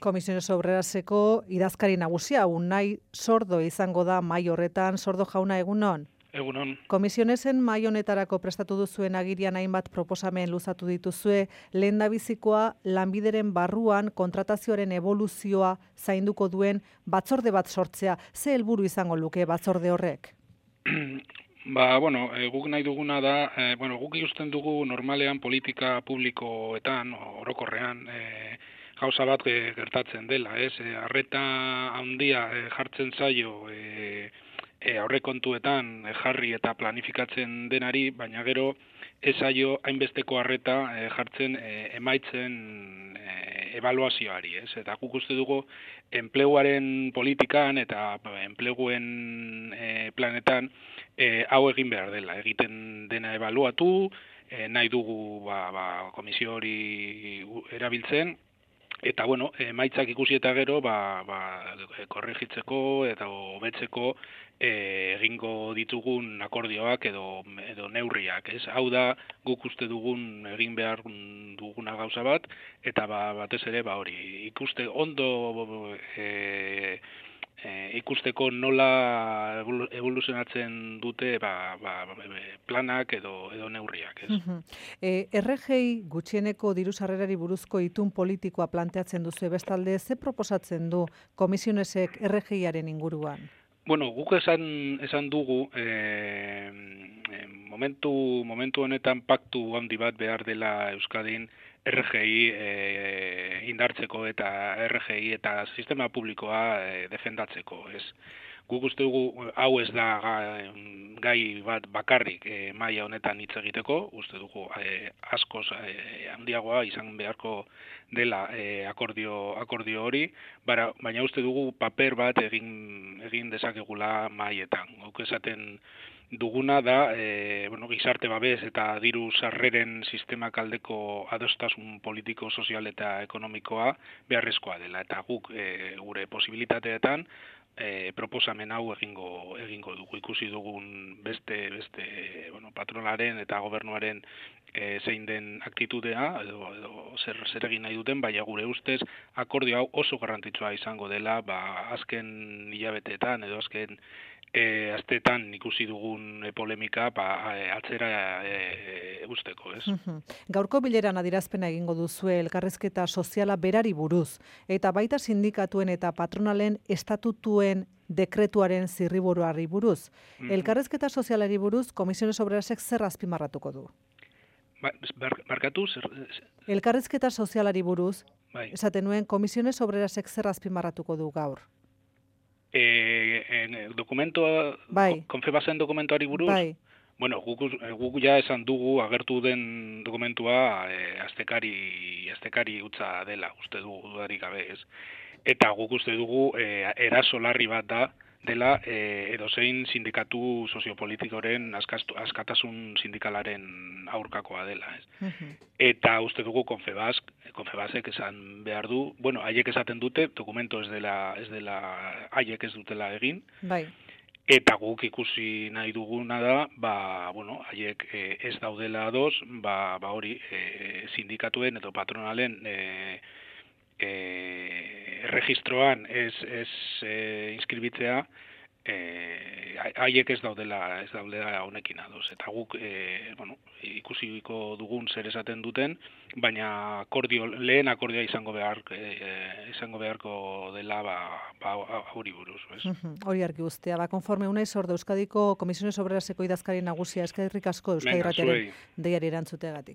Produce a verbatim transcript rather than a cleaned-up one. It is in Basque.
Komisiones Obreraseko idazkari nagusia, Unai Sordo izango da mai horretan. Sordo jauna, egunon? Egunon. Komisionesen mai honetarako prestatu duzuen agirian hainbat proposamen luzatu dituzue, lehendabizikoa lanbideren barruan kontratazioaren eboluzioa zainduko duen batzorde bat sortzea. Ze helburu izango luke batzorde horrek? Ba, bueno, e, guk nahi duguna da, e, bueno, guk ikusten dugu normalean politika publikoetan, orokorrean, e, gauza bat gertatzen dela, ez? E, arreta handia e, jartzen zaio e, e, aurrekontuetan e, jarri eta planifikatzen denari, baina gero ez zaio hainbesteko arreta e, jartzen e, emaitzen e, ebaluazioari, ez? Eta guk uste dugu enpleguaren politikan eta enpleguen e, planetan e, hau egin behar dela, egiten dena ebaluatu, e, nahi dugu ba, ba, komisio hori erabiltzen, eta bueno, emaitzak ikusi eta gero ba, ba, korregitzeko eta hobetzeko e, egingo ditugun akordioak edo, edo neurriak, ez? Hau da guk uste dugun egin behar duguna gauza bat, eta ba, batez ere ba hori ikuste ondo e, E, ikusteko nola evoluzionatzen dute ba, ba, planak edo, edo neurriak. Ez? Uh-huh. e, R G I gutxieneko diru sarrerari buruzko itun politikoa planteatzen duzu, bestalde ze proposatzen du komisionesek R G I-aren inguruan? Bueno, guk esan, esan dugu e, momentu, momentu honetan paktu handi bat behar dela Euskadin R G I e, indartzeko eta R G I eta sistema publikoa e, defendatzeko, ez. Guk uste dugu hau ez da gai bat bakarrik e, maila honetan hitz egiteko, uste dugu e, askoz e, handiagoa izan beharko dela e, akordio, akordio hori, bara, baina uste dugu paper bat egin, egin dezakegula maietan. Guk esaten duguna da e, bueno, gizarte babes eta diru sarreren sistemak aldeko adostasun politiko, sozial eta ekonomikoa beharrezkoa dela. Eta guk e, gure posibilitateetan e, proposamen hau egingo egingo dugu. Ikusi dugun beste beste bueno, patronaren eta gobernuaren e, zein den aktitudea edo, edo zer, zer egin nahi duten, baina gure ustez akordio hau oso garrantzitsua izango dela, ba, azken hilabeteetan edo azken E, astetan ikusi dugun e, polemika ba, e, atzera e, usteko, ez? Uh-huh. Gaurko bileran adierazpena egingo duzue elkarrizketa soziala berari buruz, eta baita sindikatuen eta patronalen estatutuen dekretuaren zirriburuari buruz. Uh-huh. Elkarrizketa sozialari buruz, Komisiones Obrerasek zer azpimarratuko du? Ba, bar, barkatu? Zer, zer... Elkarrizketa sozialari buruz, bai. Esaten nuen, Komisiones Obrerasek zer azpimarratuko du gaur? E, en, dokumentoa, bai. Konfebasen dokumentuari buruz? Bai. Bueno, guk, guk ja esan dugu agertu den dokumentua e, astekari, astekari utza dela, uste dugu dudarik gabe, ez? Eta guk uste dugu e, eraso larri bat da dela e, edozein sindikatu soziopolitikoren askastu, askatasun sindikalaren aurkakoa dela, ez? Uh-huh. Eta uste dugu Konfebask, Konfebasek esan behar du, bueno, haiek esaten dute, dokumento ez dela, ez dela, haiek ez dutela egin. Bai. Eta guk ikusi nahi duguna da, ba, bueno, haiek e, ez daudela ados, ba, ba hori, e, sindikatuen edo patronalen e, e, registroan ez, ez e, inskribitzea, eh haiek ez daudela ez daudela honekin ados, eta guk e, bueno, ikusiko dugun zer esaten duten, baina akordio, lehen akordioa izango behar e, izango beharko dela ba ba hori buruz, ez? Hori argi guztia, ba konforme Unai Sordo Euskadiko Komisiones Obreraseko idazkari nagusia, eskerrik asko Euskadi Irratiaren deiari erantzuteagatik.